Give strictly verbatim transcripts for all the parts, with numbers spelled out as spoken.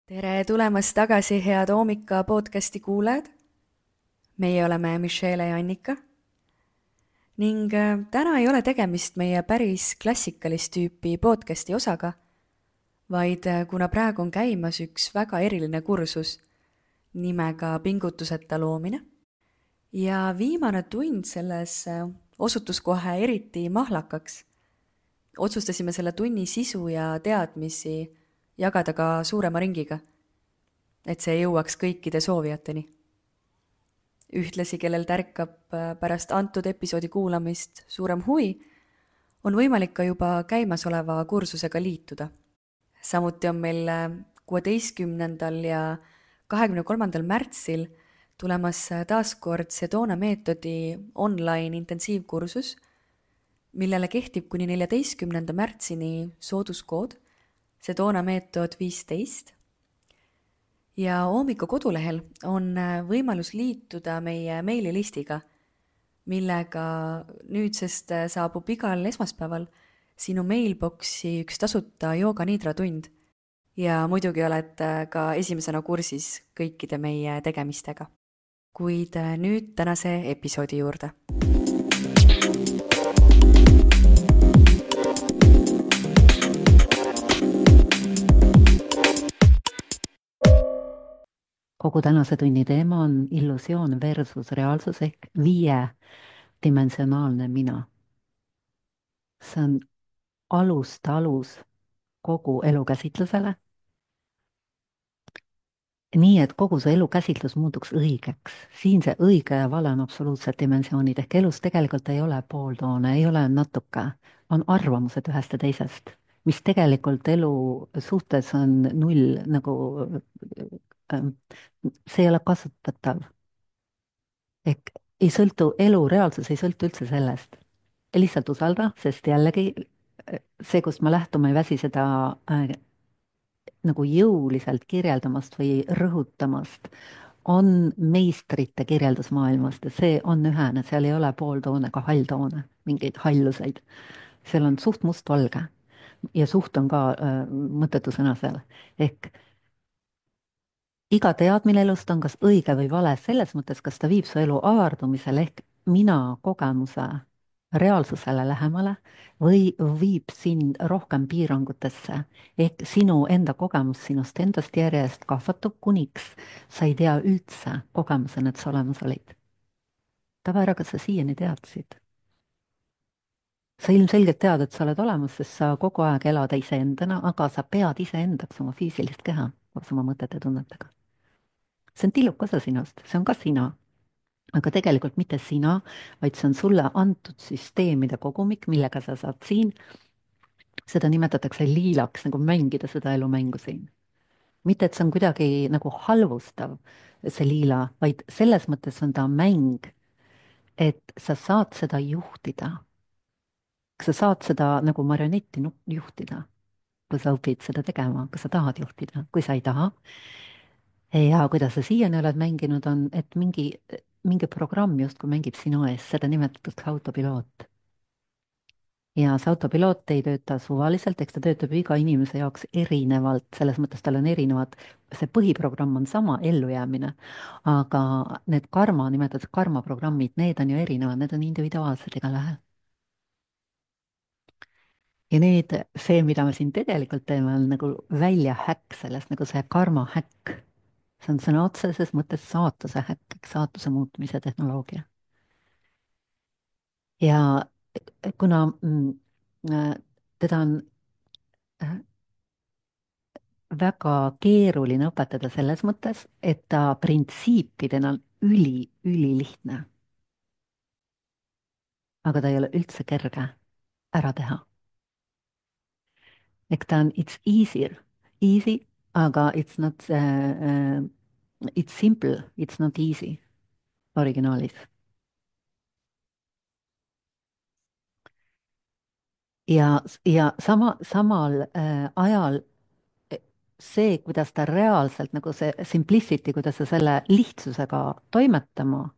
tere tulemast tagasi, head Oomika podcasti kuulajad. meie oleme Michelle ja Annika ning äh, täna ei ole tegemist meie päris klassikalist tüüpi podcasti osaga, vaid äh, kuna praegu on käimas üks väga eriline kursus nimega pingutuseta loomine ja viimane tund selles äh, osutus kohe eriti mahlakaks, otsustasime selle tunni sisu ja teadmisi jagada ka suurema ringiga, et see jõuaks kõikide soovijateni. Ühtlasi, kellel tärkab pärast antud episoodi kuulamist suurem huvi, on võimalik ka juba käimasoleva kursusega liituda. Samuti on meil kuueteistkümnendal ja kahekümne kolmandal märtsil tulemas taaskord Sedona meetodi online intensiivkursus, millele kehtib kuni neljateistkümnenda märtsini sooduskood Sedona meetod viisteist. Ja Oomika kodulehel on võimalus liituda meie meililistiga, millega nüüdsest saabub igal esmaspäeval sinu mailboxi üks tasuta jooga nidra tund ja muidugi oled ka esimesena kursis kõikide meie tegemistega. Kuid nüüd tänase episoodi juurde. Kogu tänase tunni teema on illusioon versus reaalsus ehk viiedimensionaalne mina. See on alust alus kogu elukäsitlusele. Nii, et kogu see elukäsitlus muutuks õigeks. Siin see õige ja vale on absoluutsed dimensioonid ehk elus tegelikult ei ole pooltoone, ei ole natuke, on arvamused ühest ja teisest, mis tegelikult elu suhtes on null, nagu see ei ole kasutatav. Ehk ei sõltu, elu reaalsus ei sõltu üldse sellest. Lihtsalt usalda, sest jällegi see, kust ma lähtun, ma ei väsi seda äh, nagu jõuliselt kirjeldamast või rõhutamast, on meistrite kirjeldus maailmast ja see on ühene, seal ei ole pooltoone ega halltoone, mingeid halluseid. Seal on suht mustvalge ja suht on ka äh, mõttetu sõna seal. Ehk iga teadmine elust on kas õige või vale selles mõttes, kas ta viib su elu avardumisele ehk mina kogemuse reaalsusele lähemale või viib sind rohkem piirangutesse ehk sinu enda kogemus sinust endast järjest kahvatub, kuniks sa ei tea üldse kogemusena, et sa olemas olid. Tava ära, kas sa siiani teadsid? Sa ilmselgelt tead, et sa oled olemas, sest sa kogu aeg elad iseendana, aga sa pead iseendaks oma füüsilist keha koos oma mõtete tunnetega. See on tilluke osa sinust, see on ka sina, aga tegelikult mitte sina, vaid see on sulle antud süsteemide kogumik, millega sa saad siin, seda nimetatakse liilaks, nagu mängida seda elumängu siin. Mitte, et see on kuidagi nagu halvustav, see liila, vaid selles mõttes on ta mäng, et sa saad seda juhtida. Sa saad seda nagu marionetti juhtida, kui sa õpid seda tegema, kui sa tahad juhtida, kui sa ei taha. Ja kuidas sa siiani oled mänginud, on, et mingi, mingi programm justkui mängib sinu ees, seda nimetatakse autopiloot. Ja see autopiloot ei tööta suvaliselt, eks ta töötab iga inimese jaoks erinevalt, selles mõttes tal on erinevad, see põhiprogramm on sama, ellujäämine, aga need karma, nimetatakse karmaprogrammid, need on ju erinevad, need on individuaalsed igalühel. Ja nüüd see, mida me siin tegelikult teeme, on nagu välja häkk sellest, nagu see karma häkk. See on sõna otseses mõttes saatuse häkk, saatuse muutmise tehnoloogia. Ja kuna teda on väga keeruline õpetada selles mõttes, et ta printsiipidena on üli, üli lihtne. Aga ta ei ole üldse kerge ära teha. Ehk ta on it's easier, easy, aga it's not uh, uh, it's simple, it's not easy originaalis. Ja, ja sama, samal äh, ajal see, kuidas ta reaalselt, nagu see simplicity, kuidas sa selle lihtsusega toimetama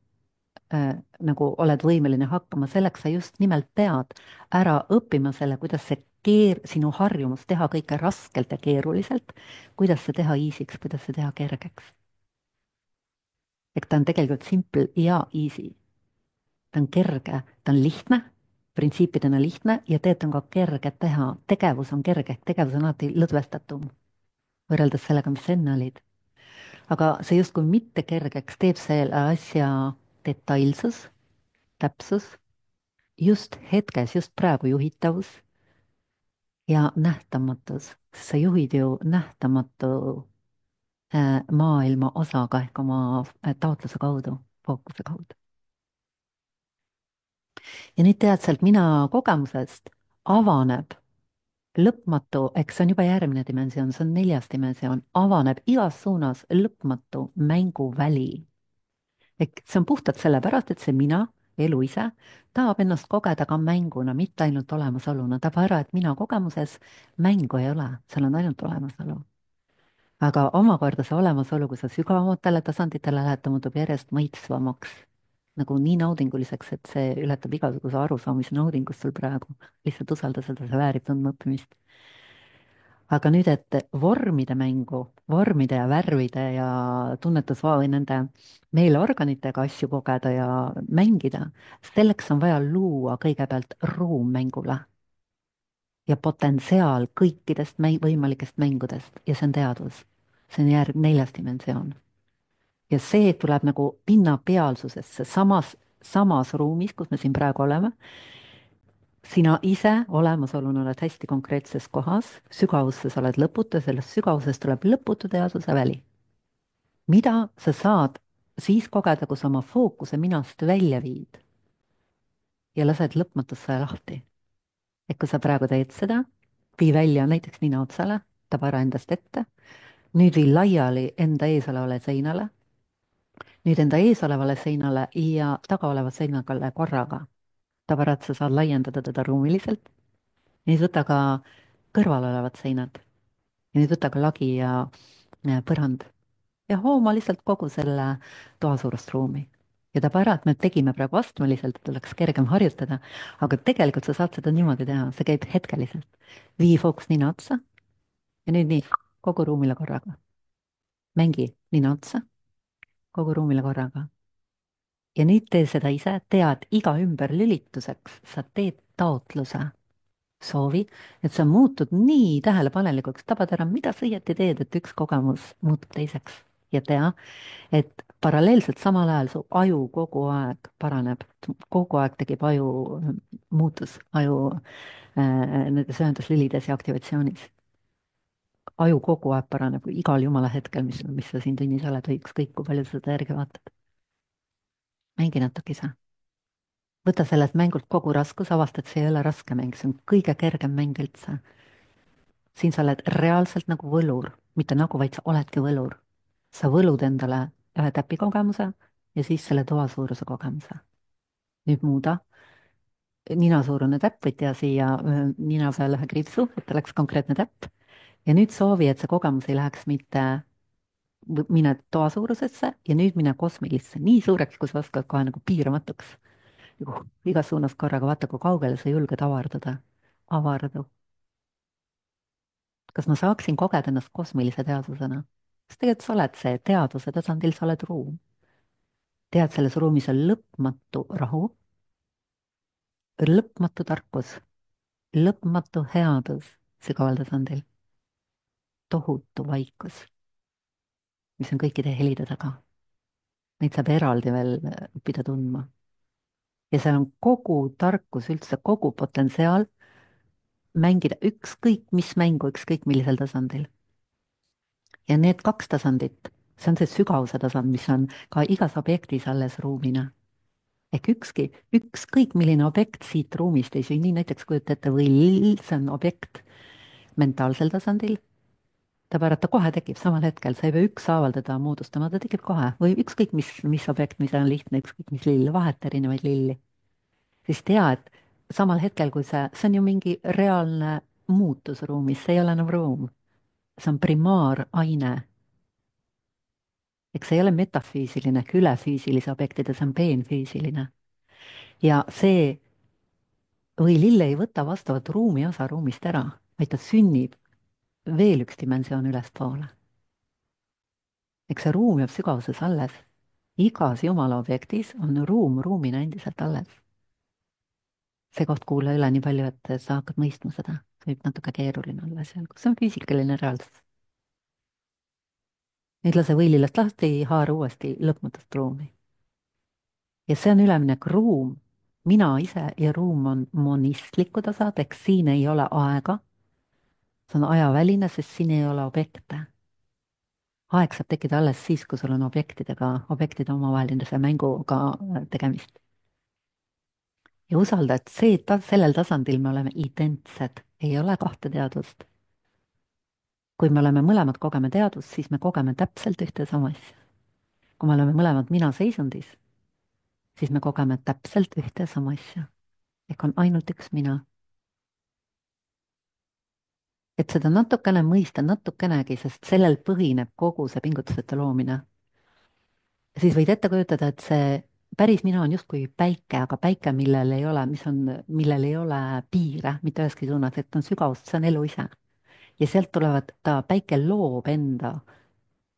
äh, nagu oled võimeline hakkama, selleks sa just nimelt pead ära õppima selle, kuidas see keer-, sinu harjumus teha kõike raskelt ja keeruliselt, kuidas see teha easy'ks, kuidas see teha kergeks. ehk ta on tegelikult simple ja easy. ta on kerge, ta on lihtne, printsiipidena lihtne ja tegelikult on ka kerge teha. tegevus on kerge, ehk tegevus on alati lõdvestatum võrreldes sellega, mis sa enne olid. aga see justkui mitte kergeks teeb selle asja detailsus, täpsus, just hetkes, just praegu juhitavus ja nähtamatus. sa juhid ju nähtamatu äh, maailma osaga ehk oma äh, taotluse kaudu, fookuse kaudu. ja nüüd tead sealt mina kogemusest avaneb lõpmatu, eks see on juba järgmine dimensioon, see on neljas dimensioon, avaneb igas suunas lõpmatu mänguväli. ehk see on puhtalt sellepärast, et see mina, elu ise, tahab ennast kogeda ka mänguna, mitte ainult olemasoluna. ta tahab ära, et mina kogemuses mängu ei ole, seal on ainult olemasolu. aga omakorda see olemasolu, kui sa sügavamatele tasanditele lähed, ta muutub järjest maitsvamaks, nagu nii naudinguliseks, et see ületab igasuguse arusaamise naudingust sul praegu. lihtsalt usalda seda, see väärib tundmaõppimist. aga nüüd, et vormide mängu, vormide ja värvide ja tunnetusvaa või nende meeleorganitega asju kogeda ja mängida, selleks on vaja luua kõigepealt ruum mängule ja potentsiaal kõikidest mäi-, võimalikest mängudest ja see on teadvus. see on järg-, neljas dimensioon. ja see tuleb nagu pinnapealsusesse, samas, samas ruumis, kus me siin praegu oleme. sina ise olemasoluna oled hästi konkreetses kohas, sügavuses oled lõputu ja sellest sügavusest tuleb lõputu teadvuse väli. mida sa saad siis kogeda, kui sa oma fookuse minast välja viid ja lased lõpmatusse lahti. et kui sa praegu teed seda, vii välja näiteks nina otsale, taba ära endast ette, nüüd vii laiali enda ees olevale seinale, nüüd enda ees olevale seinale ja taga oleva seinale korraga. taba ära, et sa saad laiendada teda ruumiliselt. nüüd võta ka kõrval olevad seinad ja nüüd võta ka lagi ja ja põrand ja hooma lihtsalt kogu selle toasuurust ruumi. ja taba ära, et me tegime praegu astmeliselt, et oleks kergem harjutada, aga tegelikult sa saad seda niimoodi teha, see käib hetkeliselt. vii fookus nina otsa ja nüüd nii, kogu ruumile korraga. mängi nina otsa, kogu ruumile korraga. ja nüüd tee seda ise, tead, iga ümberlülituseks sa teed taotluse, soovi, et sa muutud nii tähelepanelikuks, tabad ära, mida sa õieti teed, et üks kogemus muutub teiseks. ja tea, et paralleelselt samal ajal su aju kogu aeg paraneb, kogu aeg tekib aju muutus, aju äh, nendes ühenduslülides ja aktivatsioonis. aju kogu aeg paraneb igal jumala hetkel, mis, mis sa siin tunnis oled või ükskõik, kui palju sa seda järgi vaatad. mängi natukese. võta sellelt mängult kogu raskus, avastad, see ei ole raske mäng, see on kõige kergem mäng üldse. siin sa oled reaalselt nagu võlur, mitte nagu, vaid sa oledki võlur. sa võlud endale ühe täpikogemuse ja siis selle toasuuruse kogemuse. nüüd muuda. ninasuurune täpp, võid teha siia öö, nina peale ühe kriipsu, et oleks konkreetne täpp. ja nüüd soovi, et see kogemus ei läheks mitte v- mine toasuurusesse ja nüüd mine kosmilisse, nii suureks, kui sa oskad, kohe nagu piiramatuks. nagu igas suunas korraga, vaata, kui kaugele sa julged avarduda. avardu. kas ma saaksin kogeda ennast kosmilise teadvusena? sest tegelikult sa oled see, teadvuse tasandil sa oled ruum. tead, selles ruumis on lõpmatu rahu, lõpmatu tarkus, lõpmatu headus sügaval tasandil, tohutu vaikus, mis on kõikide helide taga. Neid saab eraldi veel õppida tundma. ja seal on kogu tarkus üldse, kogu potentsiaal mängida ükskõik mis mängu, ükskõik millisel tasandil. ja need kaks tasandit, see on see sügavuse tasand, mis on ka igas objektis alles ruumina. ehk ükski, ükskõik milline objekt siit ruumist ei sünni, näiteks kujuta ette võll, see on objekt mentaalsel tasandil, ta pärast ta kohe tekib samal hetkel, sa ei pea ükshaaval teda moodustama, ta tekib kohe või ükskõik mis, mis objekt, mis on lihtne, ükskõik mis lill, vahet erinevaid lilli. siis tea, et samal hetkel, kui see, see on ju mingi reaalne muutus ruumis, see ei ole enam ruum, see on primaaraine. eks see ei ole metafüüsiline ehk ülefüüsilise objektide, see on peenfüüsiline. ja see või lill ei võta vastavat ruumi osa ruumist ära, vaid ta sünnib veel üks dimensioon ülespoole. eks see ruum jääb sügavuses alles. igas jumala objektis on ruum ruumina endiselt alles. see koht kuula üle nii palju, et sa hakkad mõistma seda. see võib natuke keeruline olla seal, kus on füüsikaline reaalsus. nüüd lase võilillast lahti, haara uuesti lõpmatut ruumi. ja see on üleminek ruum. mina ise ja ruum on monistlikud osad, ehk siin ei ole aega. see on ajaväline, sest siin ei ole objekte. aeg saab tekkida alles siis, kui sul on objektidega, objektide omavahelise mänguga äh, tegemist. ja usalda, et see, ta, sellel tasandil me oleme identsed, ei ole kahte teadvust. kui me oleme mõlemad kogeme teadvust, siis me kogeme täpselt ühte sama asja. kui me oleme mõlemad mina seisundis, siis me kogeme täpselt ühte sama asja. ehk on ainult üks mina. et seda natukene mõista, natukenegi, sest sellel põhineb kogu see pingutusete loomine. siis võid ette kujutada, et see päris mina on justkui päike, aga päike, millel ei ole, mis on, millel ei ole piire mitte üheski suunas, et on sügavust, see on elu ise. ja sealt tulevad, ta, päike loob enda,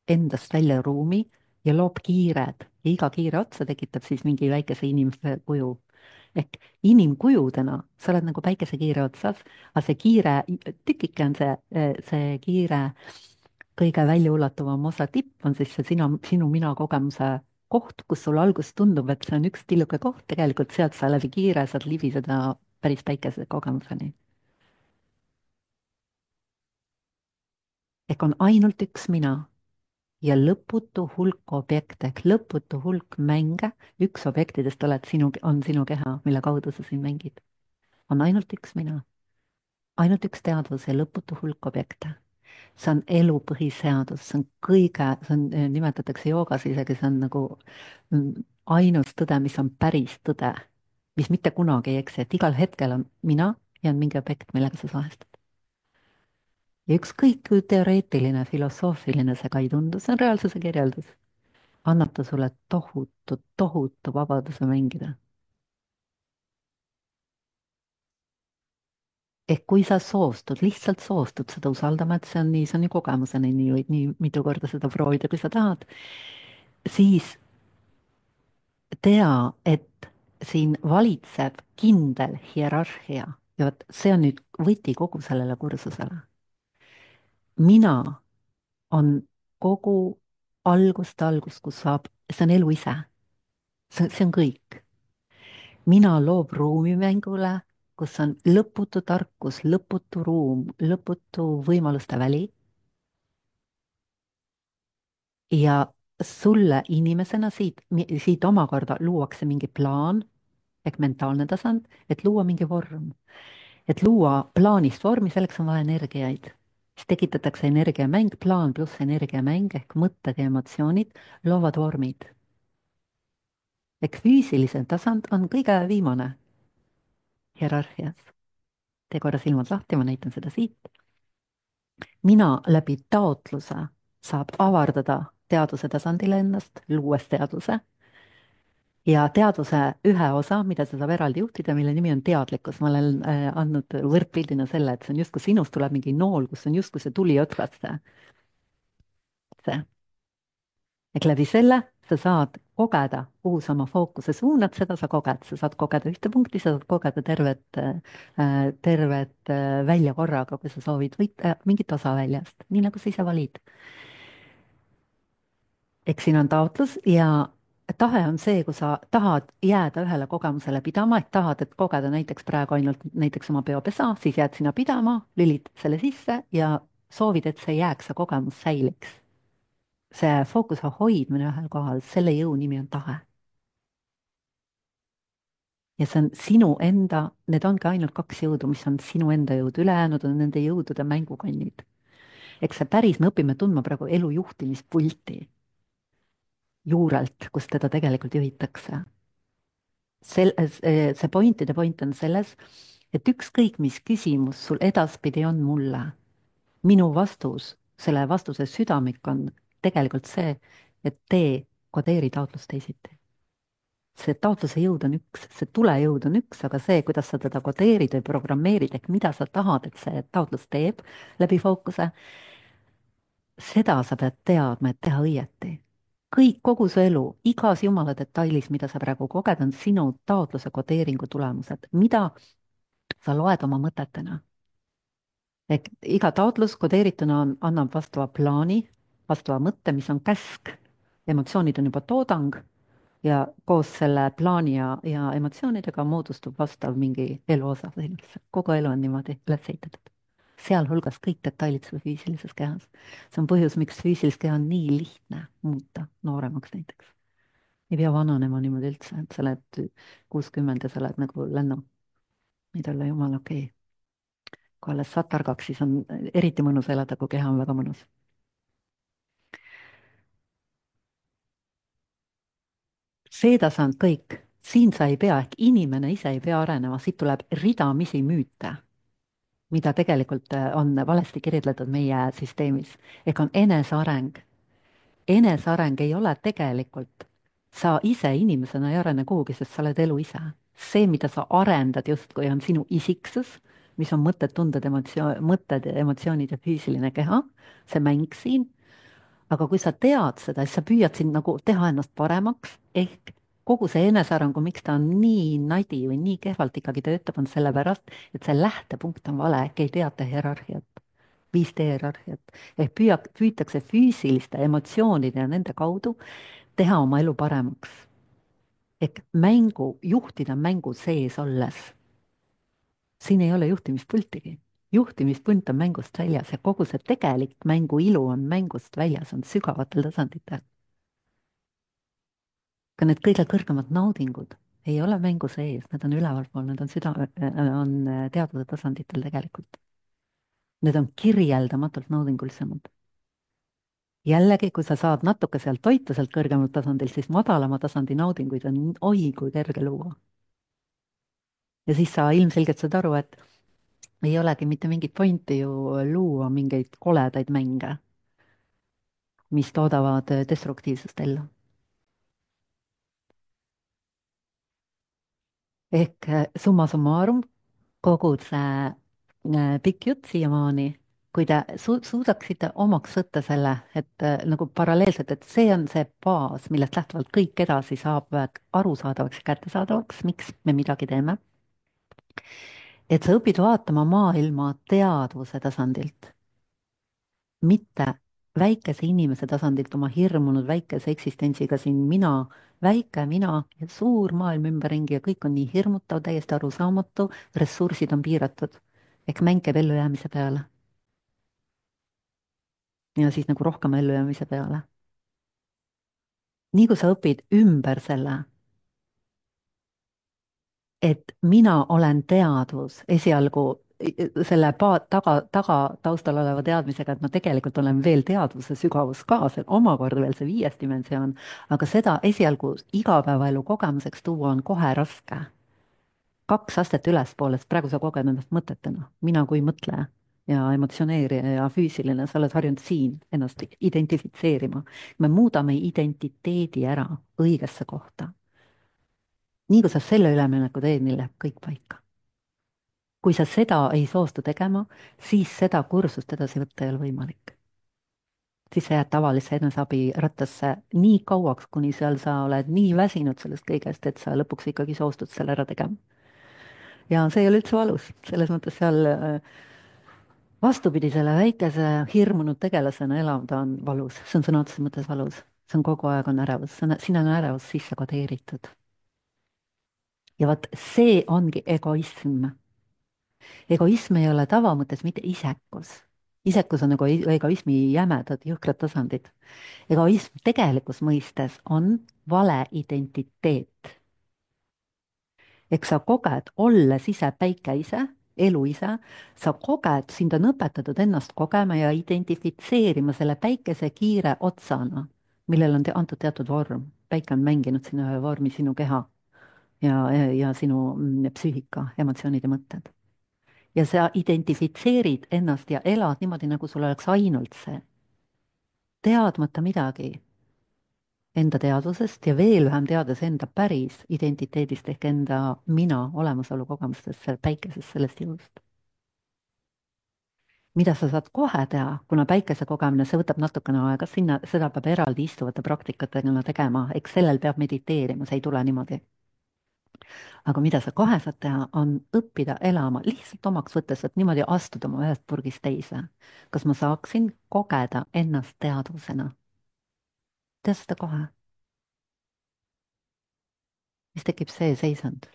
endast välja ruumi ja loob kiired ja iga kiire otsa tekitab siis mingi väikese inimese kuju. ehk inimkujudena sa oled nagu päikesekiire otsas, aga see kiire tükike on see, see kiire kõige väljaulatuvam osa tipp on siis see sina, sinu mina kogemuse koht, kus sul alguses tundub, et see on üks tilluke koht, tegelikult sealt sa läbi kiire saad libiseda päris päikese kogemuseni. ehk on ainult üks mina ja lõputu hulk objekte ehk lõputu hulk mänge, üks objektidest oled sinu, on sinu keha, mille kaudu sa siin mängid. on ainult üks mina, ainult üks teadvus ja lõputu hulk objekte. see on elu põhiseadus, see on kõige, see on, nimetatakse joogas isegi, see on nagu mm, ainus tõde, mis on päris tõde, mis mitte kunagi ei eksi, et igal hetkel on mina ja on mingi objekt, millega sa suhestud. ja ükskõik kui teoreetiline, filosoofiline see ka ei tundu, see on reaalsuse kirjeldus, annab ta sulle tohutu, tohutu vabaduse mängida. ehk kui sa soostud, lihtsalt soostud seda usaldama, et see on nii, see on ju kogemusena, nii võid nii mitu korda seda proovida, kui sa tahad, siis tea, et siin valitseb kindel hierarhia ja vot see on nüüd võti kogu sellele kursusele. mina on kogu algust algus, kus saab, see on elu ise. see, see on kõik. mina loob ruumi mängule, kus on lõputu tarkus, lõputu ruum, lõputu võimaluste väli. ja sulle inimesena siit, siit omakorda luuakse mingi plaan ehk mentaalne tasand, et luua mingi vorm. et luua plaanist vormi, selleks on vaja energiaid. siis tekitatakse energiamäng, plaan pluss energiamäng ehk mõtted ja emotsioonid loovad vormid. ehk füüsiline tasand on kõige viimane hierarhias. tee korra silmad lahti, ma näitan seda siit. mina läbi taotluse saab avardada teaduse tasandile ennast, luues teaduse. ja teaduse ühe osa, mida sa saab eraldi juhtida, mille nimi on teadlikkus, ma olen äh, andnud võrdpildina selle, et see on justkui sinust tuleb mingi nool, kus on justkui see tuli otsast see, see. ehk läbi selle sa saad kogeda, kuhu sa oma fookuse suunad, seda sa koged, sa saad kogeda ühte punkti, sa saad kogeda tervet äh,, tervet äh, välja korraga, kui sa soovid võita mingit osa väljast, nii nagu sa ise valid. eks siin on taotlus ja tahe on see, kui sa tahad jääda ühele kogemusele pidama, et tahad, et kogeda näiteks praegu ainult näiteks oma peopesa, siis jääd sinna pidama, lülitad selle sisse ja soovid, et see jääks, see kogemus säiliks. see fookuse hoidmine ühel kohal, selle jõu nimi on tahe. ja see on sinu enda, need ongi ainult kaks jõudu, mis on sinu enda jõud, ülejäänud on nende jõudude mängukonnid. eks see päris, me õpime tundma praegu elu juhtimispulti juurelt, kus teda tegelikult juhitakse. sel-, see pointide point on selles, et ükskõik, mis küsimus sul edaspidi on mulle, minu vastus, selle vastuse südamik on tegelikult see, et tee, kodeeri taotlus teisiti. see taotluse jõud on üks, see tulejõud on üks, aga see, kuidas sa teda kodeerid või programmeerid, ehk mida sa tahad, et see taotlus teeb läbi fookuse, seda sa pead teadma, et teha õieti. kõik, kogu su elu, igas jumala detailis, mida sa praegu koged, on sinu taotluse kodeeringu tulemused, mida sa loed oma mõtetena. ehk iga taotlus kodeerituna on, annab vastava plaani, vastava mõtte, mis on käsk. emotsioonid on juba toodang ja koos selle plaani ja, ja emotsioonidega moodustub vastav mingi eluosa sinna. kogu elu on niimoodi üles ehitatud. sealhulgas kõik detailid sul füüsilises kehas. see on põhjus, miks füüsilist keha on nii lihtne muuta nooremaks näiteks. ei pea vananema niimoodi üldse, et sa oled kuuskümmend ja sa oled nagu lennu. võid olla jumala okei okay. kui alles saad targaks, siis on eriti mõnus elada, kui keha on väga mõnus. see tasand kõik, siin sa ei pea, ehk inimene ise ei pea arenema, siit tuleb ridamisi müüte, mida tegelikult on valesti kirjeldatud meie süsteemis, ehk on eneseareng. eneseareng ei ole tegelikult, sa ise inimesena ei arene kuhugi, sest sa oled elu ise. see, mida sa arendad justkui, on sinu isiksus, mis on mõtted, tunded, emotsioon, mõtted, emotsioonid ja füüsiline keha, see mäng siin. aga kui sa tead seda, siis sa püüad siin nagu teha ennast paremaks, ehk kogu see enesearengu, miks ta on nii nadi või nii kehvalt ikkagi töötab, on sellepärast, et see lähtepunkt on vale, ehk ei teata hierarhiat, viis D hierarhiat, ehk püüa, püütakse füüsiliste emotsioonide ja nende kaudu teha oma elu paremaks. ehk mängu, juhtida mängu sees olles. siin ei ole juhtimispultigi. juhtimispunt on mängust väljas ja kogu see tegelik mängu ilu on mängust väljas, on sügavatel tasanditel. ka need kõige kõrgemad naudingud ei ole mängu sees, need on ülevalpool, need on süda, on teadvuse tasanditel tegelikult. Need on kirjeldamatult naudingulisemad. jällegi, kui sa saad natuke sealt toitu sealt kõrgemalt tasandilt, siis madalama tasandi naudinguid on oi kui kerge luua. ja siis sa ilmselgelt saad aru, et ei olegi mitte mingit pointi ju luua mingeid koledaid mänge, mis toodavad destruktiivsust ellu. ehk summa summarum, kogu see äh, pikk jutt siiamaani, kui te su suudaksite omaks võtta selle, et äh, nagu paralleelselt, et see on see baas, millest lähtuvalt kõik edasi saab arusaadavaks ja kättesaadavaks, miks me midagi teeme. et sa õpid vaatama maailma teadvuse tasandilt, mitte väikese inimese tasandilt, oma hirmunud väikese eksistentsiga siin mina, väike mina ja suur maailm ümberringi ja kõik on nii hirmutav, täiesti arusaamatu, ressursid on piiratud. ehk mäng käib ellujäämise peale. ja siis nagu rohkem ellujäämise peale. nii kui sa õpid ümber selle, et mina olen teadvus esialgu selle pa- taga, taga taustal oleva teadmisega, et ma tegelikult olen veel teadvuse sügavus ka, see on omakorda veel see viies dimensioon, aga seda esialgu igapäevaelu kogemuseks tuua on kohe raske. kaks astet ülespoole, sest praegu sa koged ennast mõtetena, mina kui mõtleja ja emotsioneerija ja füüsiline, sa oled harjunud siin ennast identifitseerima. me muudame identiteedi ära õigesse kohta. nii kui sa selle ülemineku teed, nii läheb kõik paika. kui sa seda ei soostu tegema, siis seda kursust edasi võtta ei ole võimalik. siis sa jääd tavalisse eneseabirattasse nii kauaks, kuni seal sa oled nii väsinud sellest kõigest, et sa lõpuks ikkagi soostud selle ära tegema. ja see ei ole üldse valus, selles mõttes seal äh, vastupidi, selle väikese hirmunud tegelasena elavda on valus, see on sõna otseses mõttes valus, see on kogu aeg on ärevus, sinna on ärevus sisse kodeeritud. ja vot see ongi egoism. egoism ei ole tavamõttes mitte isekus. isekus on nagu egoismi jämedad jõhkrad tasandid. egoism tegelikus mõistes on vale identiteet. eks sa koged, olles ise päike ise, elu ise, sa koged, sind on õpetatud ennast kogema ja identifitseerima selle päikese kiire otsana, millel on te antud teatud vorm. päike on mänginud sinna ühe vormi, sinu keha ja, ja, ja sinu mm, psüühika, emotsioonid ja mõtted. ja sa identifitseerid ennast ja elad niimoodi, nagu sul oleks ainult see, teadmata midagi. enda teadvusest ja veel vähem teades enda päris identiteedist ehk enda mina olemasolu kogemustest, sellest päikesest, sellest jõust. Mida sa saad kohe teha, kuna päikese kogemine, see võtab natukene aega, sinna, seda peab eraldi istuvate praktikatega tegema, eks sellel peab mediteerima, see ei tule niimoodi. aga mida sa kohe saad teha, on õppida elama lihtsalt omaks võttes, et niimoodi astuda oma ühest purgist teise. kas ma saaksin kogeda ennast teadvusena? tea seda kohe. siis tekib see seisund.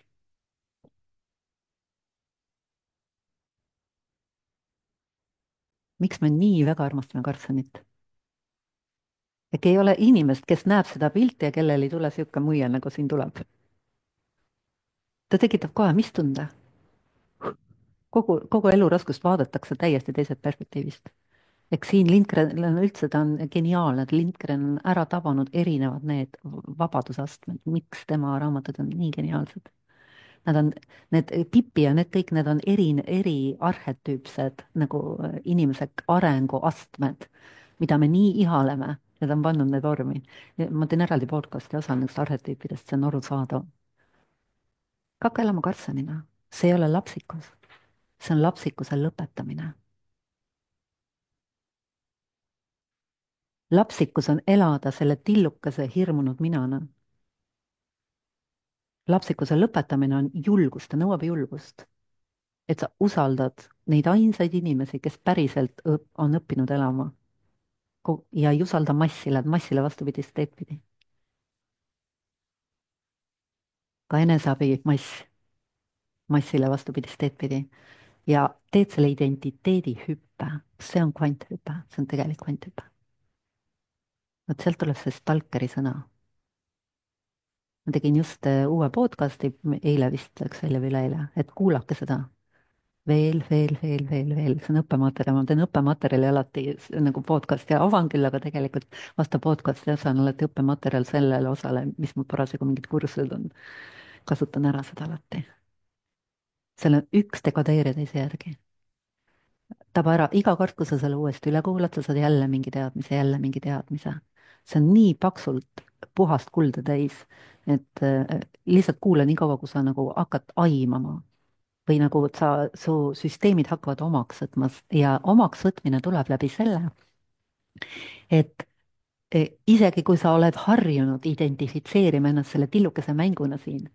miks me nii väga armastame Karlssonit? äkki ei ole inimest, kes näeb seda pilti ja kellel ei tule sihuke muie, nagu siin tuleb. ta tekitab kohe mis tunde? kogu, kogu elu raskust vaadatakse täiesti teisest perspektiivist. eks siin Lindgren on üldse, ta on geniaalne, et Lindgren on ära tabanud erinevad need vabadusastmed, miks tema raamatud on nii geniaalsed. Nad on, need Pipi ja need kõik, need on eri, eri arhetüüpsed nagu inimese arenguastmed, mida me nii ihaleme ja ta on pannud need vormi. ma teen eraldi podcast'i osa nendest arhetüüpidest, see on arusaadav. hakka elama Karlssonina, see ei ole lapsikus, see on lapsikuse lõpetamine. lapsikus on elada selle tillukese hirmunud minana. lapsikuse lõpetamine on julgust, ta nõuab julgust. Et sa usaldad neid ainsaid inimesi, kes päriselt õp on õppinud elama. Ja ei usalda massile, massile vastupidist teed pidi. ka eneseabi mass, massile vastupidist teed pidi. ja teed selle identiteedi hüppe, see on kvanthüpe, see on tegelik kvanthüpe. vot sealt tuleb see stalkeri sõna. ma tegin just uue podcast'i, eile vist läks välja või üleeile, et kuulake seda. veel, veel, veel, veel, veel, see on õppematerjal, ma teen õppematerjali alati nagu podcast'i avan küll, aga tegelikult vastav podcast'i osa on alati õppematerjal sellele osale, mis mul parasjagu mingid kursused on. kasutan ära seda alati. seal on üks dekodeerija teise järgi. taba ära, iga kord, kui sa selle uuesti üle kuulad, sa saad jälle mingi teadmise, jälle mingi teadmise. see on nii paksult puhast kulda täis, et äh, lihtsalt kuula nii kaua, kui sa nagu hakkad aimama või nagu sa, su süsteemid hakkavad omaks võtma ja omaks võtmine tuleb läbi selle, et e, isegi kui sa oled harjunud identifitseerima ennast selle tillukese mänguna siin,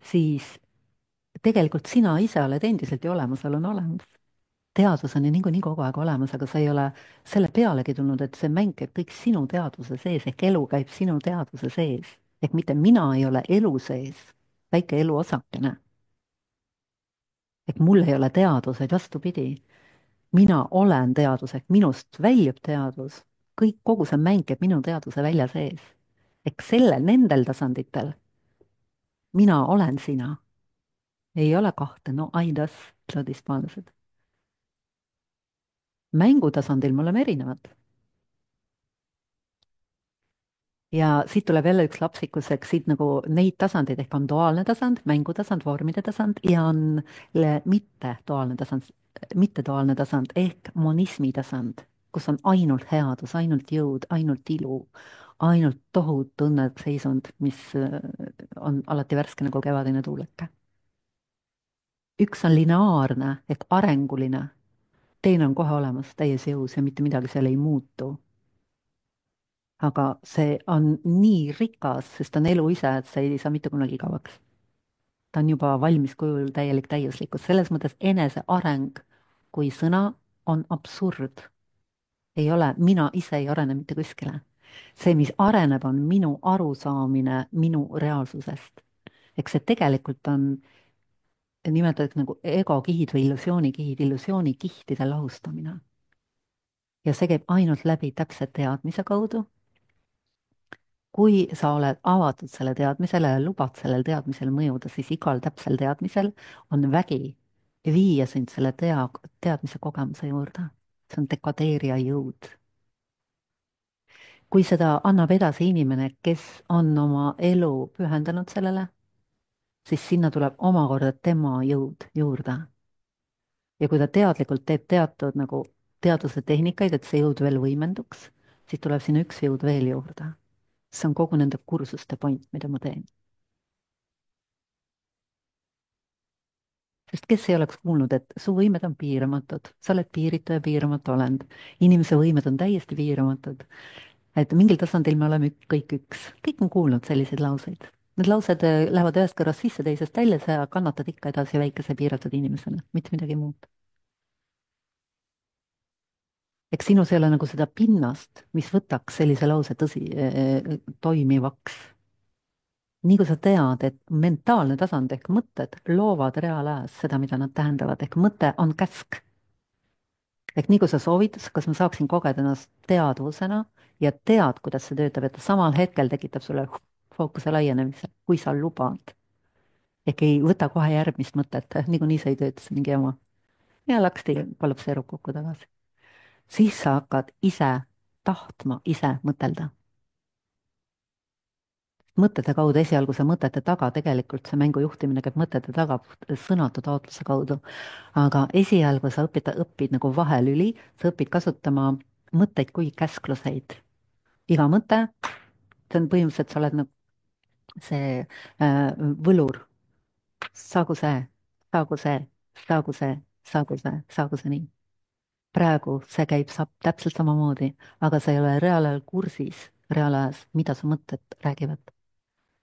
siis tegelikult sina ise oled endiselt ju olemasolu on olemas. teadvus on ju niikuinii kogu aeg olemas, aga sa ei ole selle pealegi tulnud, et see mäng käib kõik sinu teadvuse sees ehk elu käib sinu teadvuse sees. ehk mitte mina ei ole elu sees, väike elu osakene. ehk mul ei ole teadvuseid, vastupidi. mina olen teadvus ehk minust väljub teadvus, kõik, kogu see mäng käib minu teadvuse välja sees. ehk selle, nendel tasanditel mina olen sina. ei ole kahte, no aidas, ütlevad hispaanlased. mängutasandil me oleme erinevad. ja siit tuleb jälle üks lapsikus, eks siit nagu neid tasandeid ehk on duaalne tasand, mängutasand, vormide tasand ja on mitteduaalne tasand, mitteduaalne tasand ehk monismi tasand, kus on ainult headus, ainult jõud, ainult ilu, ainult tohutu õnneseisund, mis on alati värske nagu kevadine tuuleke. üks on lineaarne ehk arenguline, teine on kohe olemas, täies jõus ja mitte midagi seal ei muutu. aga see on nii rikas, sest ta on elu ise, et see ei saa mitte kunagi igavaks. ta on juba valmis kujul täielik täiuslikkus, selles mõttes eneseareng kui sõna on absurd. ei ole, mina ise ei arene mitte kuskile. see, mis areneb, on minu arusaamine minu reaalsusest. eks see tegelikult on, nimetatakse nagu egokihid või illusioonikihid, illusioonikihtide lahustamine. ja see käib ainult läbi täpse teadmise kaudu. kui sa oled avatud selle teadmisele ja lubad sellel teadmisel mõjuda, siis igal täpsel teadmisel on vägi viia sind selle tea, teadmise kogemuse juurde. see on dekadeerija jõud. kui seda annab edasi inimene, kes on oma elu pühendanud sellele, siis sinna tuleb omakorda tema jõud juurde. ja kui ta teadlikult teeb teatud nagu teaduse tehnikaid, et see jõud veel võimenduks, siis tuleb sinna üks jõud veel juurde. see on kogu nende kursuste point, mida ma teen. sest kes ei oleks kuulnud, et su võimed on piiramatud, sa oled piiritu ja piiramatu olend. inimese võimed on täiesti piiramatud. et mingil tasandil me oleme ük- kõik üks, kõik on kuulnud selliseid lauseid. Need laused äh, lähevad ühest kõrvast sisse, teisest välja, sa kannatad ikka edasi väikese piiratud inimesena, mitte midagi muud. eks sinus ei ole nagu seda pinnast, mis võtaks sellise lause tõsi äh, toimivaks. nii kui sa tead, et mentaalne tasand ehk mõtted loovad reaalajas seda, mida nad tähendavad, ehk mõte on käsk. ehk nii kui sa soovid, kas ma saaksin kogeda ennast teadvusena ja tead, kuidas see töötab, et ta samal hetkel tekitab sulle fookuse laienemise, kui sa lubad. ehk ei võta kohe järgmist mõtet, niikuinii see ei tööta, see mingi jama. ja laksti kollapseerub kokku tagasi. siis sa hakkad ise tahtma ise mõtelda. mõtete kaudu, esialgu see mõtete taga, tegelikult see mängu juhtimine käib mõtete taga sõnatu taotluse kaudu. aga esialgu sa õpid, õpid nagu vahelüli, sa õpid kasutama mõtteid kui käskluseid. iga mõte, see on põhimõtteliselt, sa oled nagu see äh, võlur, saagu see, saagu see, saagu see, saagu see, saagu see nii. praegu see käib saab täpselt samamoodi, aga sa ei ole reaalajal kursis, reaalajas, mida su mõtted räägivad.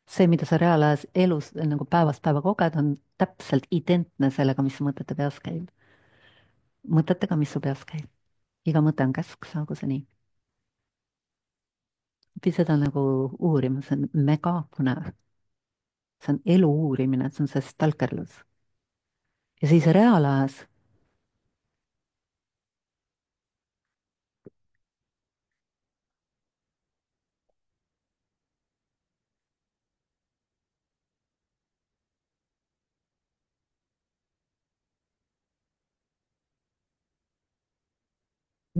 see, mida sa reaalajas elus nagu päevast päeva koged, on täpselt identne sellega, mis su mõtete peas käib. mõtetega, mis su peas käib. iga mõte on käsk, saagu see nii. õpi seda nagu uurima, see on mega põnev. see on elu uurimine, see on see stalkerlus. ja siis reaalajas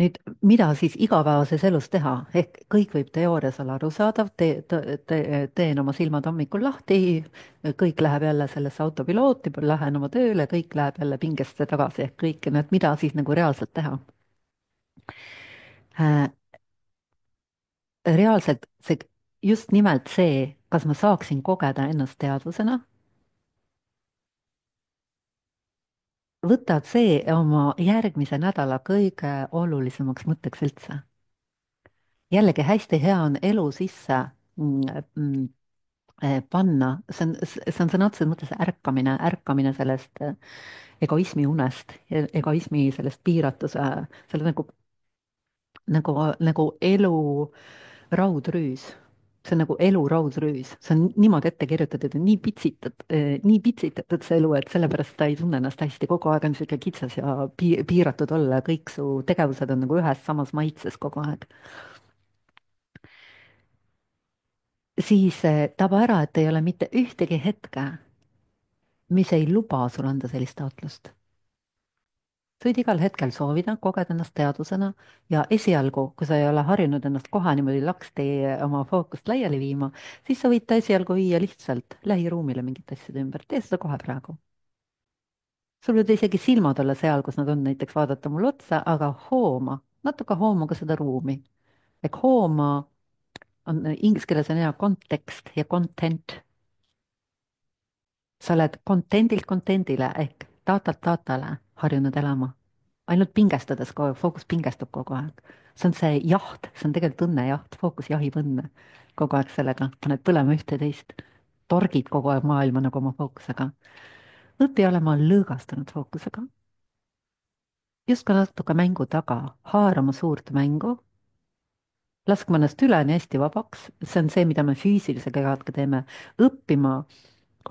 nüüd, mida siis igapäevases elus teha, ehk kõik võib teoorias olla arusaadav, tee, tee, tee, teen oma silmad hommikul lahti, kõik läheb jälle sellesse autopilooti, lähen oma tööle, kõik läheb jälle pingesse tagasi, ehk kõik need, mida siis nagu reaalselt teha. Äh, reaalselt see, just nimelt see, kas ma saaksin kogeda ennast teadvusena, võtad see oma järgmise nädala kõige olulisemaks mõtteks üldse. jällegi hästi hea on elu sisse mm, mm, eh, panna, see on, see on sõna otseses mõttes ärkamine, ärkamine sellest eh, egoismi unest, egoismi sellest piiratuse, selle nagu, nagu, nagu elu raudrüüs. see on nagu elu raudrüüs, see on niimoodi ette kirjutatud ja nii pitsitatud, nii pitsitatud see elu, et sellepärast ta ei tunne ennast hästi, kogu aeg on niisugune kitsas ja pi-, piiratud olla ja kõik su tegevused on nagu ühes samas maitses kogu aeg. siis eh, taba ära, et ei ole mitte ühtegi hetke, mis ei luba sul anda sellist taotlust. sa võid igal hetkel soovida, kogeda ennast teadvusena ja esialgu, kui sa ei ole harjunud ennast kohe niimoodi laksti oma fookust laiali viima, siis sa võid ta esialgu viia lihtsalt lähiruumile mingite asjade ümber, tee seda kohe praegu. sul võivad isegi silmad olla seal, kus nad on, näiteks vaadata mulle otsa, aga hooma, natuke hooma ka seda ruumi. ehk hooma on inglise keeles on hea kontekst ja content. sa oled content'ilt content'ile ehk datalt datale harjunud elama. ainult pingestades kogu aeg, fookus pingestub kogu aeg. see on see jaht, see on tegelikult õnnejaht, fookus jahib õnne kogu aeg sellega, paned põlema ühte ja teist. torgid kogu aeg maailma nagu oma fookusega. õpi olema lõõgastunud fookusega. justkui natuke mängu taga, haarama suurt mängu, laskma ennast üleni hästi vabaks, see on see, mida me füüsilise kehaga teeme, õppima,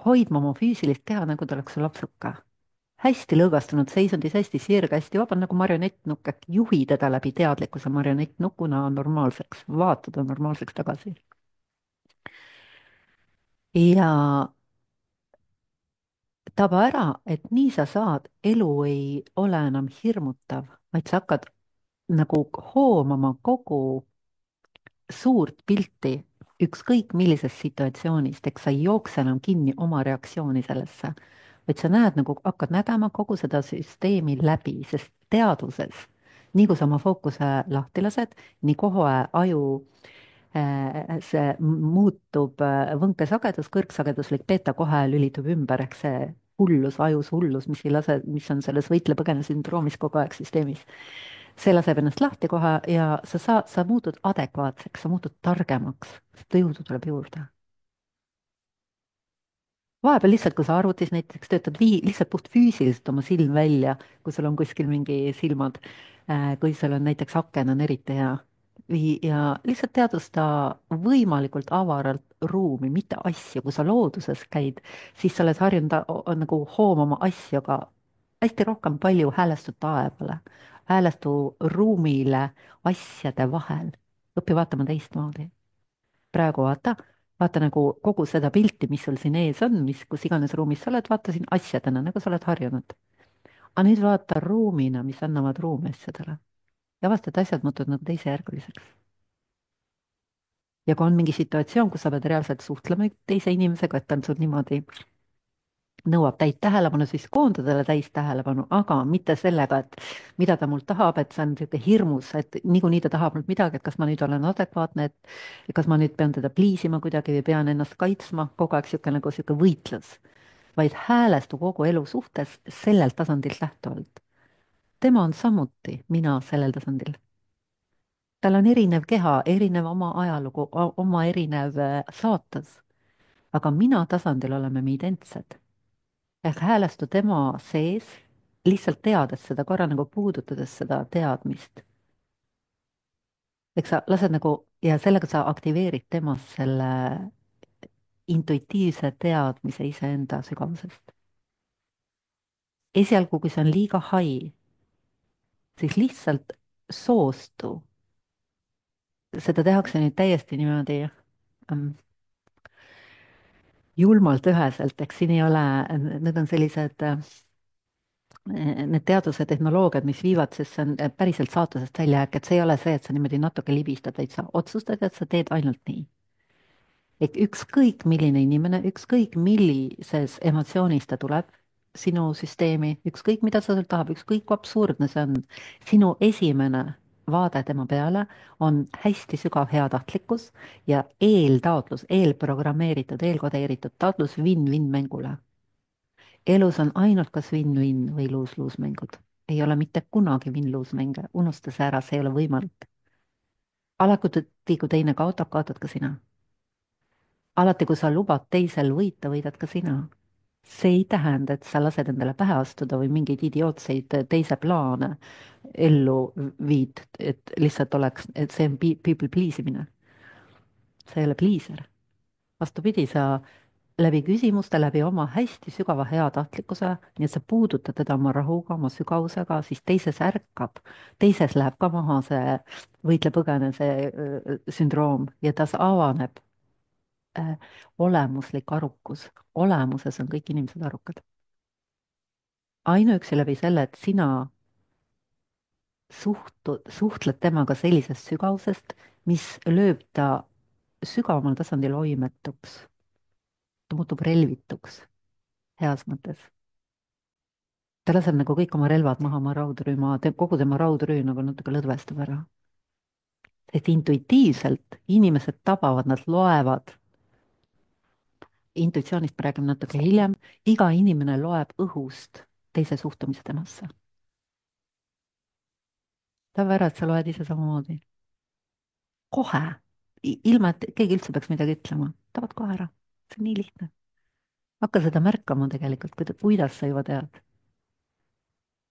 hoidma oma füüsilist keha, nagu ta oleks su lapsuke. hästi lõõgastunud seisundis, hästi sirge, hästi vaba nagu marionettnukk, äkki juhi teda läbi teadlikkuse marionettnukuna normaalseks, vaata ta normaalseks tagasi. ja taba ära, et nii sa saad, elu ei ole enam hirmutav, vaid sa hakkad nagu hoomama kogu suurt pilti ükskõik millisest situatsioonist, eks sa ei jookse enam kinni oma reaktsiooni sellesse, vaid sa näed nagu, hakkad nägema kogu seda süsteemi läbi, sest teadvuses, nii kui sa oma fookuse lahti lased, nii kohe aju see muutub äh, võnkesagedus, kõrgsageduslik beeta kohe lülitub ümber, ehk see hullus, ajus hullus, mis ei lase, mis on selles võitle-põgene sündroomis kogu aeg süsteemis. see laseb ennast lahti kohe ja sa saad, sa muutud adekvaatseks, sa muutud targemaks, sest jõudu tuleb juurde. vahepeal lihtsalt, kui sa arvutis näiteks töötad vii-, lihtsalt puht füüsiliselt oma silm välja, kui sul on kuskil mingi silmad, kui sul on näiteks aken on eriti hea. Vii- ja lihtsalt teadvusta võimalikult avaralt ruumi, mitte asju, kui sa looduses käid, siis sa oled harjunud a- o- nagu hoomama asju, aga hästi rohkem palju häälestu taevale, häälestu ruumile asjade vahel. õpi vaatama teistmoodi. praegu vaata, vaata nagu kogu seda pilti, mis sul siin ees on, mis, kus iganes ruumis sa oled, vaata siin asjadena, nagu sa oled harjunud. aga nüüd vaata ruumina, mis annavad ruumi asjadele. ja avastad, et asjad muutuvad nagu teisejärguliseks. ja kui on mingi situatsioon, kus sa pead reaalselt suhtlema teise inimesega, et ta on sul niimoodi, nõuab täit tähelepanu, siis koonda talle täis tähelepanu, aga mitte sellega, et mida ta mult tahab, et see on niisugune hirmus, et niikuinii ta tahab mult midagi, et kas ma nüüd olen adekvaatne, et kas ma nüüd pean teda pliisima kuidagi või pean ennast kaitsma, kogu aeg niisugune nagu niisugune võitlus, vaid häälestu kogu elu suhtes sellelt tasandilt lähtuvalt. tema on samuti mina sellel tasandil. tal on erinev keha, erinev oma ajalugu, oma erinev äh, saatus, aga mina tasandil oleme me identsed ehk häälestu tema sees, lihtsalt teades seda, korra nagu puudutades seda teadmist. eks sa lased nagu ja sellega sa aktiveerid temas selle intuitiivse teadmise iseenda sügavusest. esialgu, kui see on liiga hai, siis lihtsalt soostu. seda tehakse nüüd täiesti niimoodi ähm, julmalt üheselt, eks siin ei ole, need on sellised äh, need teaduse tehnoloogiad, mis viivad, sest see on äh, päriselt saatusest väljajääk, et see ei ole see, et sa niimoodi natuke libistad, vaid sa otsustad, et sa teed ainult nii. et ükskõik milline inimene, ükskõik millises emotsioonis ta tuleb sinu süsteemi, ükskõik mida ta sult tahab, ükskõik kui absurdne see on, sinu esimene vaade tema peale on hästi sügav heatahtlikkus ja eeltaotlus, eelprogrammeeritud, eelkodeeritud taotlus win-win mängule. elus on ainult kas win-win või lose-lose mängud. ei ole mitte kunagi win-lose mänge, unusta see ära, see ei ole võimalik. alati, kui teine kaotab, kaotad ka sina. alati, kui sa lubad teisel võita, võidad ka sina. see ei tähenda, et sa lased endale pähe astuda või mingeid idiootseid teise plaane ellu viid, et lihtsalt oleks, et see on pe- people please imine. see ei ole pleaser. vastupidi, sa läbi küsimuste, läbi oma hästi sügava heatahtlikkuse, nii et sa puudutad teda oma rahuga, oma sügavusega, siis teises ärkab, teises läheb ka maha see võitle-põgene, see öö, sündroom ja tas avaneb äh, olemuslik arukus. olemuses on kõik inimesed arukad. ainuüksi läbi selle, et sina suhtu, suhtled temaga sellisest sügavusest, mis lööb ta sügavamal tasandil oimetuks. ta muutub relvituks, heas mõttes. ta laseb nagu kõik oma relvad maha, oma raudrüüma, kogu tema raudrüü nagu natuke lõdvestub ära. et intuitiivselt inimesed tabavad, nad loevad, intuitsioonist me räägime natuke hiljem, iga inimene loeb õhust teise suhtumise temasse. tava ära, et sa loed ise samamoodi. kohe, ilma et keegi üldse peaks midagi ütlema, tavad kohe ära, see on nii lihtne. hakka seda märkama tegelikult, kuidas sa juba tead.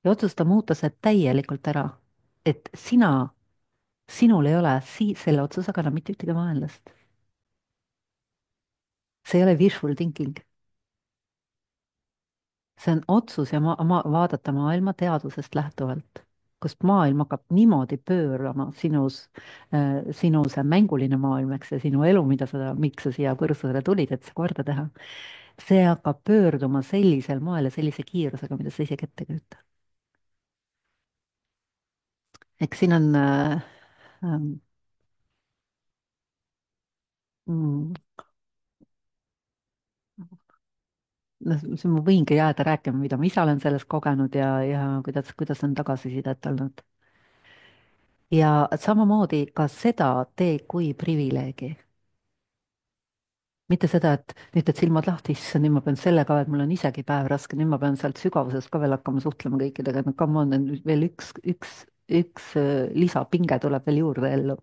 ja otsusta muuta see täielikult ära, et sina, sinul ei ole sii-, selle otsusega enam mitte ühtegi vaenlast. see ei ole wishful thinking. see on otsus ja ma, ma vaadata maailma teadvusest lähtuvalt, kust maailm hakkab niimoodi pöörama sinus äh,, sinu see mänguline maailm, eks see sinu elu, mida sa, miks sa siia põrsusele tulid, et see korda teha. see hakkab pöörduma sellisel moel ja sellise kiirusega, mida sa isegi ette ei kujuta. eks siin on äh, ähm, mm, noh, siin ma võingi jääda rääkima, mida ma ise olen sellest kogenud ja, ja kuidas, kuidas on tagasisidet olnud. ja samamoodi ka seda tee kui privileegi. mitte seda, et nüüd teed silmad lahti, issand, nüüd ma pean selle ka, et mul on isegi päev raske, nüüd ma pean sealt sügavusest ka veel hakkama suhtlema kõikidega, no come on, nüüd veel üks, üks, üks äh, lisapinge tuleb veel juurde ellu.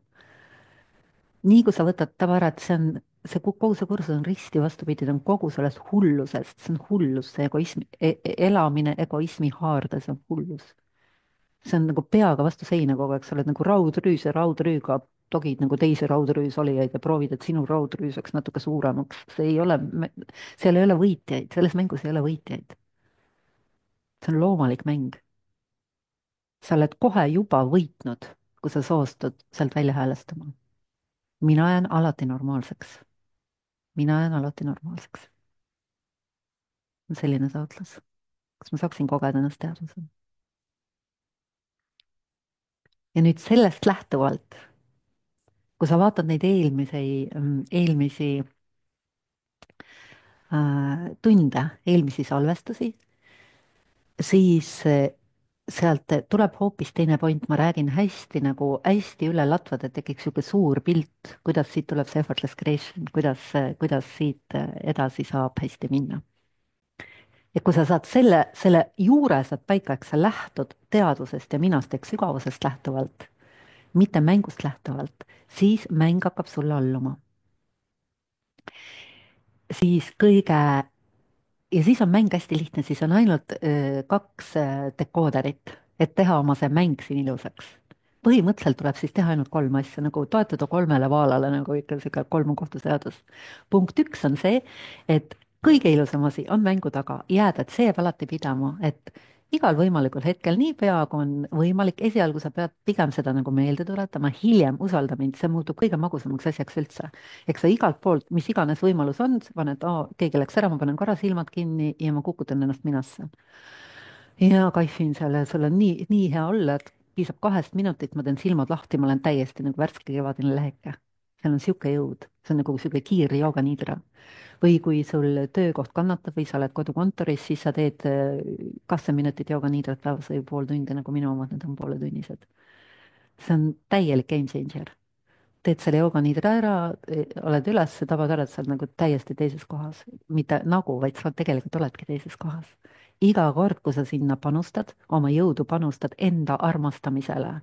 nii kui sa võtad tava ära, et see on, see kogu see kursus on risti vastupidi, ta on kogu sellest hullusest, see on hullus, see egoism e, e- elamine egoismi haardes on hullus. See on nagu peaga vastu seina kogu aeg, sa oled nagu raudrüüs ja raudrüüga togid nagu teisi raudrüüs olijaid ja proovid, et sinu raudrüüs saaks natuke suuremaks. see ei ole, seal ei ole võitjaid, selles mängus ei ole võitjaid. see on loomulik mäng. sa oled kohe juba võitnud, kui sa soostud sealt välja häälestama. mina jään alati normaalseks. mina jään alati normaalseks. selline taotlus. kas ma saaksin kogeda ennast teadvusena? ja nüüd sellest lähtuvalt, kui sa vaatad neid eelmisi, eelmisi äh, tunde, eelmisi salvestusi, siis äh, sealt tuleb hoopis teine point, ma räägin hästi nagu hästi üle latvad, et tekiks niisugune suur pilt, kuidas siit tuleb see effortless creation, kuidas, kuidas siit äh, edasi saab hästi minna. ja kui sa saad selle, selle juure saad paika, eks sa lähtud teadvusest ja minast ehk sügavusest lähtuvalt, mitte mängust lähtuvalt, siis mäng hakkab sulle alluma. siis kõige ja siis on mäng hästi lihtne, siis on ainult öö, kaks öö, dekooderit, et teha oma see mäng siin ilusaks. põhimõtteliselt tuleb siis teha ainult kolm asja, nagu toetuda kolmele vaalale, nagu ikka sihuke kolmukohtu seadus. punkt üks on see, et kõige ilusam asi on mängu taga jääda, et see jääb alati pidama, et igal võimalikul hetkel, niipea kui on võimalik, esialgu sa pead pigem seda nagu meelde tuletama, hiljem usalda mind, see muutub kõige magusamaks asjaks üldse. eks sa igalt poolt, mis iganes võimalus on, paned, keegi läks ära, ma panen korra silmad kinni ja ma kukutan ennast minasse. ja kaifin selle, sul on nii, nii hea olla, et piisab kahest minutit, ma teen silmad lahti, ma olen täiesti nagu värske kevadine leheke. seal on sihuke jõud, see on nagu sihuke kiirjooganiidra. või kui sul töökoht kannatab või sa oled kodukontoris, siis sa teed äh, kakskümmend minutit jooganiidrat päevas või pool tundi, nagu minu omad, need on pooletunnised. see on täielik game changer. Teed selle jooganiidra ära, oled üles, tabad ära, et sa oled nagu täiesti teises kohas. mitte nagu, vaid sa tegelikult oledki teises kohas. iga kord, kui sa sinna panustad, oma jõudu panustad enda armastamisele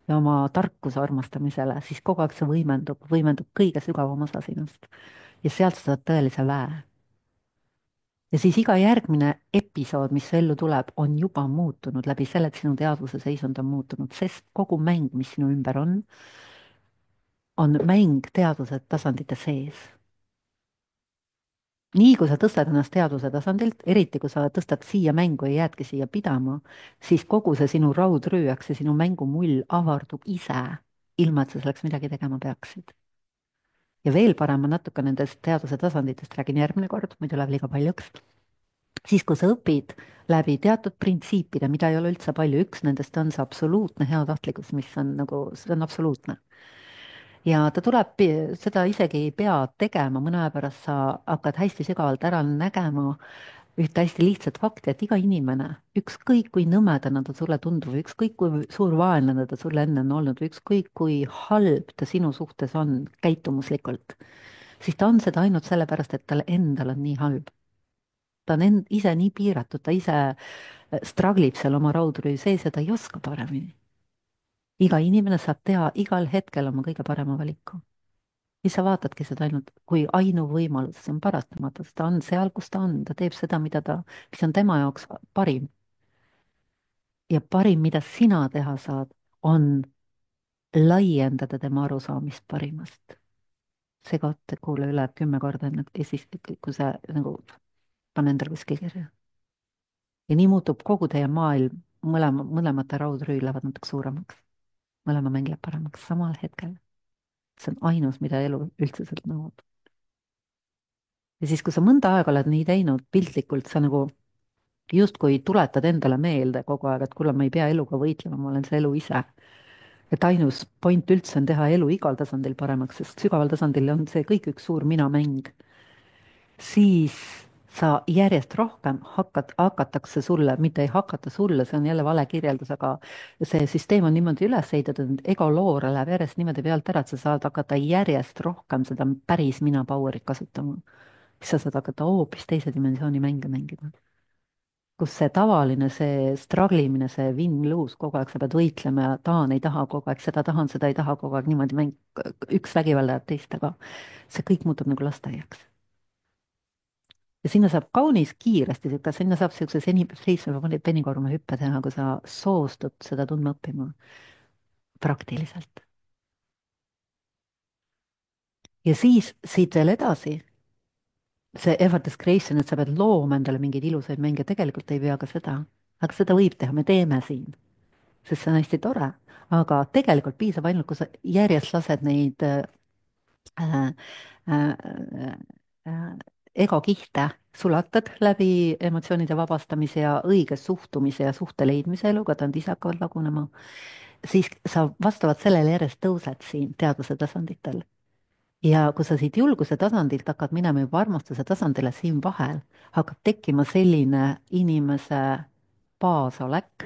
ja oma tarkuse armastamisele, siis kogu aeg see võimendub, võimendub kõige sügavam osa sinust. ja sealt sa saad tõelise väe. ja siis iga järgmine episood, mis su ellu tuleb, on juba muutunud läbi selle, et sinu teadvuse seisund on muutunud, sest kogu mäng, mis sinu ümber on, on mäng teadvuse tasandite sees. nii kui sa tõstad ennast teadvuse tasandilt, eriti kui sa tõstad siia mängu ja jäädki siia pidama, siis kogu see sinu raudrüüaks ja sinu mängumull avardub ise, ilma et sa selleks midagi tegema peaksid. ja veel parem, ma natuke nendest teadvuse tasanditest räägin järgmine kord, muidu läheb liiga paljuks. siis, kui sa õpid läbi teatud printsiipide, mida ei ole üldse palju, üks nendest on see absoluutne heatahtlikkus, mis on nagu, see on absoluutne. ja ta tuleb, seda isegi ei pea tegema, mõne aja pärast sa hakkad hästi sügavalt ära nägema ühte hästi lihtsat fakti, et iga inimene, ükskõik kui nõmedana ta sulle tundub, ükskõik kui suur vaenlane ta sulle enne on olnud, ükskõik kui halb ta sinu suhtes on käitumuslikult, siis ta on seda ainult sellepärast, et tal endal on nii halb. ta on end, ise nii piiratud, ta ise struggle ib seal oma raudrüü sees ja ta ei oska paremini. iga inimene saab teha igal hetkel oma kõige parema valiku. siis sa vaatadki seda ainult kui ainuvõimalus, see on paratamatu, ta on seal, kus ta on, ta teeb seda, mida ta, mis on tema jaoks parim. ja parim, mida sina teha saad, on laiendada tema arusaamist parimast. see koht, kuule üle kümme korda enne ja siis, kui sa nagu pane endale kuskil kirja. ja nii muutub kogu teie maailm, mõlema, mõlemate raudrüü lähevad natuke suuremaks. mõlema mäng läheb paremaks samal hetkel. see on ainus, mida elu üldse sealt nõuab. ja siis, kui sa mõnda aega oled nii teinud, piltlikult sa nagu justkui tuletad endale meelde kogu aeg, et kuule, ma ei pea eluga võitlema, ma olen see elu ise. et ainus point üldse on teha elu igal tasandil paremaks, sest sügaval tasandil on see kõik üks suur minamäng. siis sa järjest rohkem hakkad, hakatakse sulle, mitte ei hakata sulle, see on jälle vale kirjeldus, aga see süsteem on niimoodi üles ehitatud, et egoloore läheb järjest niimoodi pealt ära, et sa saad hakata järjest rohkem seda päris mina power'it kasutama. siis sa saad hakata hoopis teise dimensiooni mänge mängima, kus see tavaline, see struggle imine, see win-lose, kogu aeg sa pead võitlema ja tahan, ei taha, kogu aeg seda tahan, seda ei taha, kogu aeg niimoodi mäng, üks vägivaldajab teist, aga see kõik muutub nagu lasteaiaks. ja sinna saab kaunis kiiresti sihuke, sinna saab siukse seni, seitsme penikorma hüppe teha, kui sa soostud seda tundma õppima praktiliselt. ja siis siit veel edasi, see effortless creation, et sa pead looma endale mingeid ilusaid mänge, tegelikult ei pea ka seda, aga seda võib teha, me teeme siin, sest see on hästi tore, aga tegelikult piisab ainult, kui sa järjest lased neid äh, äh, äh, egokihte sulatad läbi emotsioonide vabastamise ja õige suhtumise ja suhte leidmise eluga, ta on ise hakkavad lagunema, siis sa vastavalt sellele järjest tõused siin teadvuse tasanditel. ja kui sa siit julguse tasandilt hakkad minema juba armastuse tasandile, siin vahel hakkab tekkima selline inimese baasolek,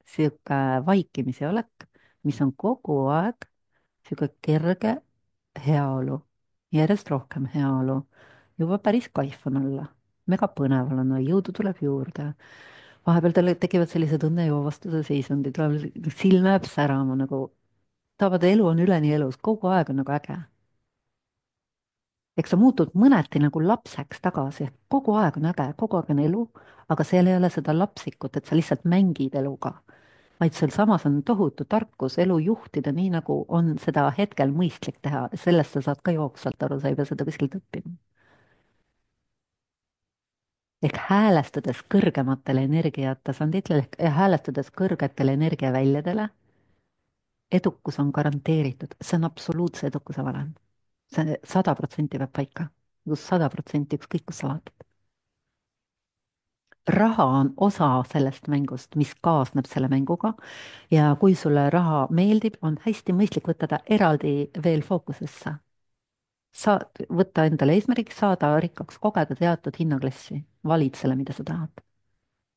sihuke vaikimise olek, mis on kogu aeg sihuke kerge heaolu, järjest rohkem heaolu, juba päris kaif on olla, mega põnev on olla, jõudu tuleb juurde. vahepeal tal tekivad sellised õnnejoovastuse seisundid, tuleb silm jääb särama nagu, tahavad, elu on üleni elus, kogu aeg on nagu äge. eks sa muutud mõneti nagu lapseks tagasi, kogu aeg on äge, kogu aeg on elu, aga seal ei ole seda lapsikut, et sa lihtsalt mängid eluga, vaid sealsamas on tohutu tarkus elu juhtida nii, nagu on seda hetkel mõistlik teha, sellest sa saad ka jooksvalt aru, sa ei pea seda kuskilt õppima. ehk häälestades kõrgematele energiatasanditele ehk häälestades kõrgetele energiaväljadele, edukus on garanteeritud, see on absoluutse edukuse valem. see sada protsenti peab paika, sada protsenti ükskõik, kus sa vaatad. raha on osa sellest mängust, mis kaasneb selle mänguga ja kui sulle raha meeldib, on hästi mõistlik võtta ta eraldi veel fookusesse. saad võtta endale eesmärgiks saada rikkaks, kogeda teatud hinnaklassi, valid selle, mida sa tahad.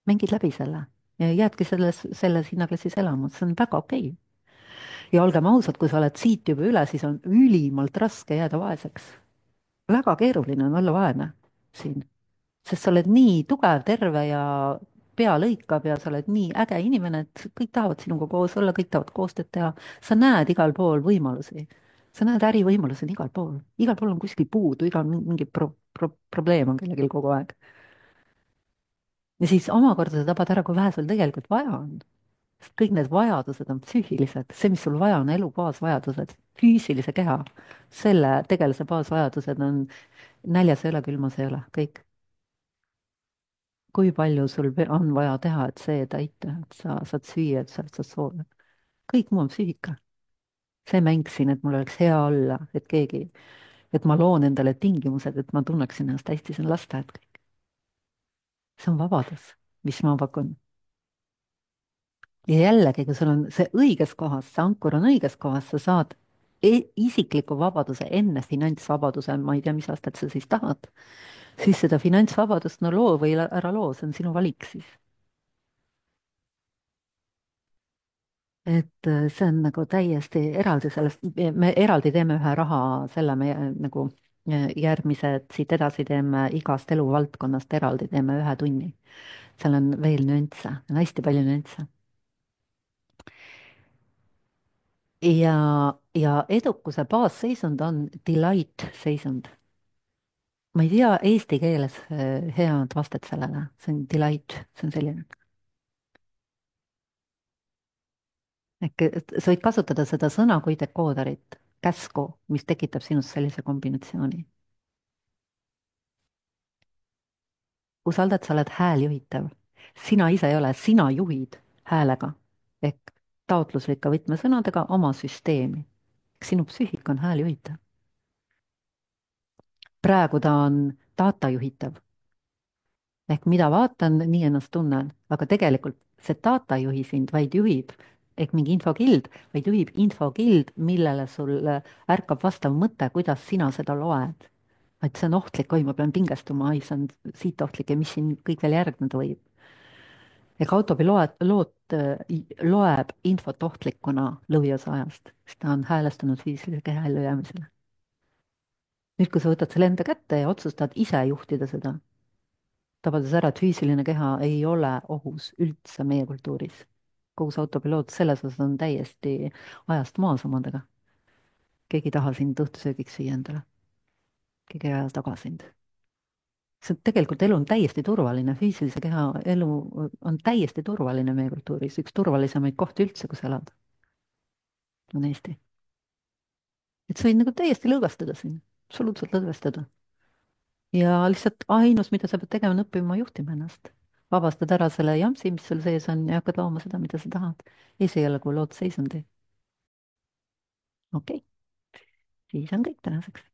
mängid läbi selle ja jäädki selles, selles hinnaklassis elama, see on väga okei okay. ja olgem ausad, kui sa oled siit juba üle, siis on ülimalt raske jääda vaeseks. väga keeruline on olla vaene siin, sest sa oled nii tugev, terve ja pea lõikab ja sa oled nii äge inimene, et kõik tahavad sinuga koos olla, kõik tahavad koostööd teha. sa näed igal pool võimalusi, sa näed ärivõimalusi on igal pool, igal pool on kuskil puudu, igal mingi pro, pro, probleem on kellelgi kogu aeg. ja siis omakorda sa tabad ära, kui vähe sul tegelikult vaja on. sest kõik need vajadused on psüühilised, see, mis sul vaja on, elu baasvajadused, füüsilise keha, selle tegelase baasvajadused on näljas ei ole, külmas ei ole, kõik. kui palju sul ve- on vaja teha, et see täita, et sa saad süüa, et sa saad soovida. kõik muu on psüühika. see mäng siin, et mul oleks hea olla, et keegi, et ma loon endale tingimused, et ma tunneksin ennast hästi, see on lasteaed kõik. see on vabadus, mis ma pakun. ja jällegi, kui sul on see õiges kohas, see ankur on õiges kohas, sa saad e isikliku vabaduse enne finantsvabaduse, ma ei tea, mis aastat sa siis tahad, siis seda finantsvabadust, no loo või ära loo, see on sinu valik siis. et äh, see on nagu täiesti eraldi sellest, me eraldi teeme ühe raha selle, me äh, nagu äh, järgmised siit edasi teeme igast eluvaldkonnast eraldi, teeme ühe tunni. seal on veel nüansse, on hästi palju nüansse. ja, ja edukuse baasseisund on delight seisund. ma ei tea eesti keeles äh, head vastet sellele, see on delight, see on selline. ehk et sa võid kasutada seda sõna kui dekooderit, käsku, mis tekitab sinust sellise kombinatsiooni. usalda, et sa oled hääljuhitav. sina ise ei ole, sina juhid häälega ehk taotluslike võtmesõnadega oma süsteemi. sinu psüühika on hääljuhitav. praegu ta on datajuhitav ehk mida vaatan, nii ennast tunnen, aga tegelikult see data ei juhi sind, vaid juhib ehk mingi infokild, vaid juhib infokild, millele sul ärkab vastav mõte, kuidas sina seda loed. et see on ohtlik, oi, ma pean pingestuma, ai, see on siit ohtlik ja mis siin kõik veel järgneda võib. ega autopiloot loot, loeb infot ohtlikuna lõviosa ajast, sest ta on häälestunud füüsilise keha ellujäämisele. nüüd, kui sa võtad selle enda kätte ja otsustad ise juhtida seda, tabades ära, et füüsiline keha ei ole ohus üldse meie kultuuris. kogu see autopiloot selles osas on täiesti ajast maas omadega. keegi ei taha sind õhtusöögiks süüa endale. keegi ei aja taga sind. see tegelikult elu on täiesti turvaline, füüsilise keha elu on täiesti turvaline meie kultuuris, üks turvalisemaid kohti üldse, kus elada, on Eesti. et sa võid nagu täiesti lõdvestada siin, absoluutselt lõdvestada. ja lihtsalt ainus, mida sa pead tegema, on õppima juhtima ennast. vabastad ära selle jampsi, mis sul sees on ja hakkad looma seda, mida sa tahad. esialgu lood seisundi. okei okay., siis on kõik tänaseks.